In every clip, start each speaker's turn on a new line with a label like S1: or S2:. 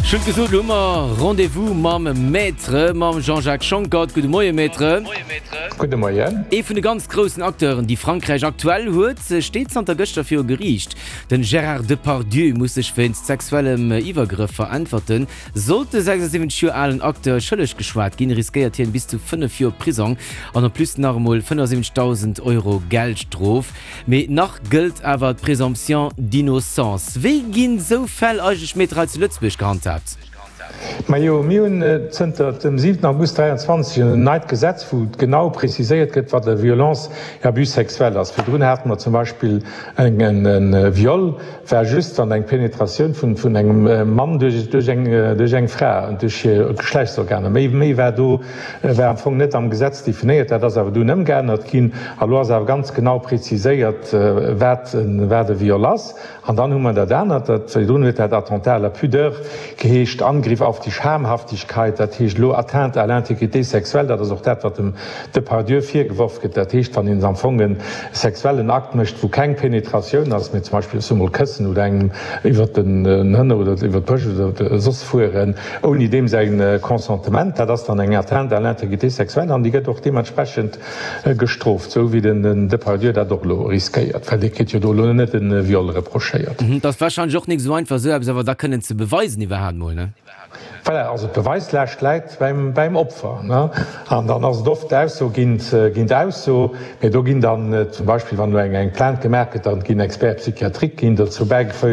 S1: Ech hunn et gesot, elo hu mer Rendez-vous mam Maître, mam Jean-Jacques Schonckert. Gudde Moie Maître.
S2: Gudde Moien.
S1: Ee vun de ganz groussen Acteuren, déi Frankräich aktuell huet, steet zanter gëschter viru Geriicht. Den Gérard Depardieu muss sech wéinst sexuellem Iwwergrëff veräntwerten. Sollt de 76 Joer alen Acteur schëlleg geschwat ginn, riskéiert hien bis zu 5 Joer Prisong an en plus nach emol 75.000 Euro Geldstrof. Mee nach gëllt awer d'Présomption d'innocence. Wéi ginn esou Fäll eigentlech, Maître, hei zu Lëtzebuerg gehandhaabt?
S2: Majo, mir hunn zënter dem 7 August 23 en neit Gesetz, wou genau preziséiert gëtt, wat e Violence et abus sexuel ass. Virdrun hate mer zum Beispill e Viol war just, wann eng Penetratioun vun engem Mann duerch eng Fra, duerch hir Geschlechtsorganer, méi war do war am Fong net am Gesetz definéiert. Dat ass awer dunn ëmgeännert ginn a lo ass awer ganz genau preziséiert, wat e Viol ass. An dann hu mer dat anert, dat virdrun huet dat Attentat à la pudeur geheescht, Angriff auf die Schamhaftigkeit, dat heescht elo Atteinte à l'intégrité sexuelle. Dat ass och dat, wat dem Depardieu virgeworf gëtt. Dat heescht, wann een am Fong e sexuellen Akt mécht, wou keng Penetratioun ass, mee zum Beispill, ech soe mol, këssen oder engem iwwert den Hënner oder iwwert d'Brëscht oder soss fueren, ouni deem säi Consentement, dat ass dann eng Atteinte à l'intégrité sexuelle an déi gëtt och deementsprechend gestrooft, esou wéi den Depardieu dat och elo riskéiert, well dee kritt jo do elo net e Viol reprochéiert.
S1: Et ass warscheinlech och nik esou einfach, esou eppes awer da kënnen ze beweisen iwwerhaapt mol, ne?
S2: Voilà, also d'Beweislaascht läit beim Opfer, ne? An dann ass et oft Ausso géint géint Ausso. Mee do ginn dann zum Beispill, wann elo eng Plainte gemaach gëtt, da ginn Experts psychiatriques ginn dozou bäigefö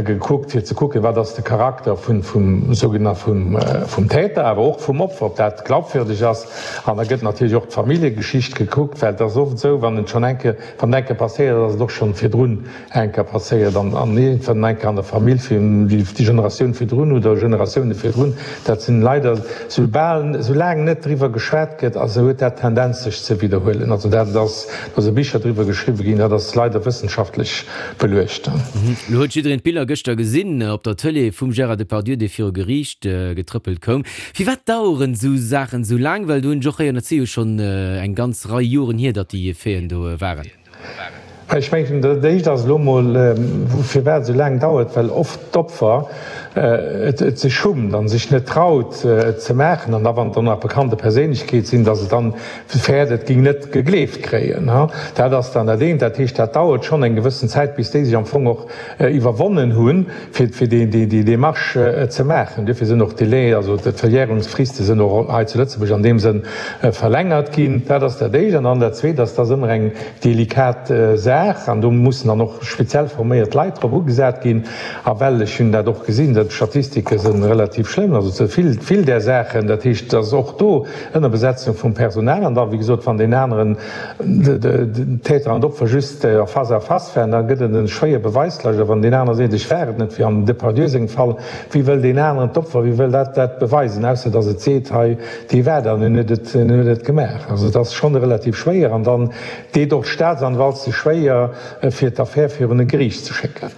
S2: gekuckt, fir ze kucken, wat ass de Charakter vun vum sougenannten vum vum Täter, awer och vum Opfer, ob dat glaubwürdeg ass. An da gëtt natierlech och d'Familljegeschicht gekuckt, well et ass oft esou, wann et schonn eng Kéier, wann et eng Kéier passéiert ass, ass et och schonn virdrun eng Kéier passéiert an an iergendwann eng Kéier an der Famill fir déi Generatioun virdrun oder Generatioune virdrun. Dat sinn leider, soubal, soulaang net driwwer geschwat gëtt, also huet dat d'Tendenz sech ze widderhuelen. Also dat ass, do si Bicher driwwer geschriwwe ginn, dat ass leider wëssenschaftlech beluecht.
S1: Elo huet jiddereen d'Biller gëschter gesinn op der Tëlee vum Gérard Depardieu, dee viru Geriicht getrëppelt koum. Firwat daueren esou Saachen esou laang? Well do hunn ech och héieren, dat si jo schonn eng ganz Rei Joren hier, datt déi Faiten do waren.
S2: Ech mengen, dat éischt ass elo emol, firwat et esou laang dauert, well oft d'Opfer et sech schummt a sech net traut, et ze maachen. An da, wann et dann nach bekannte Perséinlechkeet sinn, datt se dann fäert, et géing net gegleeft kréien. Dat ass dann dat eent. Dat heescht, dat dauert schonn eng gewëssen Zäit, bis déi sech am Fong och iwwerwonnen hunn, fir déi Démarche ze maachen. Duerfir sinn och d'Délais, also d'Verjährungsfriste sinn och hei zu Lëtzebuerg an deem Sënn verlängert ginn. Dat ass dat Éischt. An dann dat Zweet ass, et ass ëmmer eng delikat Saach an do mussen dann och speziell forméiert Leit drop ugesat ginn. A well, ech hunn dat och gesinn, d'Statistike si relativ schlëmm, also ze vill, vill där Saachen. Dat heescht, et ass och do Ënnerbesetzung vum Personal. An da, wéi gesot, wann deen aneren, den Täter an d'Opfer just en face à face waren, da gëtt et en schwéier Beweislaascht. A wann deen anere seet, ech war et net, wéi am Depardieu sengem Fall, wéi wëll deen aneren, d'Opfer, wéi wëll dat dat beweisen, ausser datt et seet, hei, dee war dat an en huet et, en huet et gemaach. Also et ass schonn relativ schwéier an dann deet och d'Staatsanwalt sech schwéier, fir d'Affär virun e Geriicht ze schécken.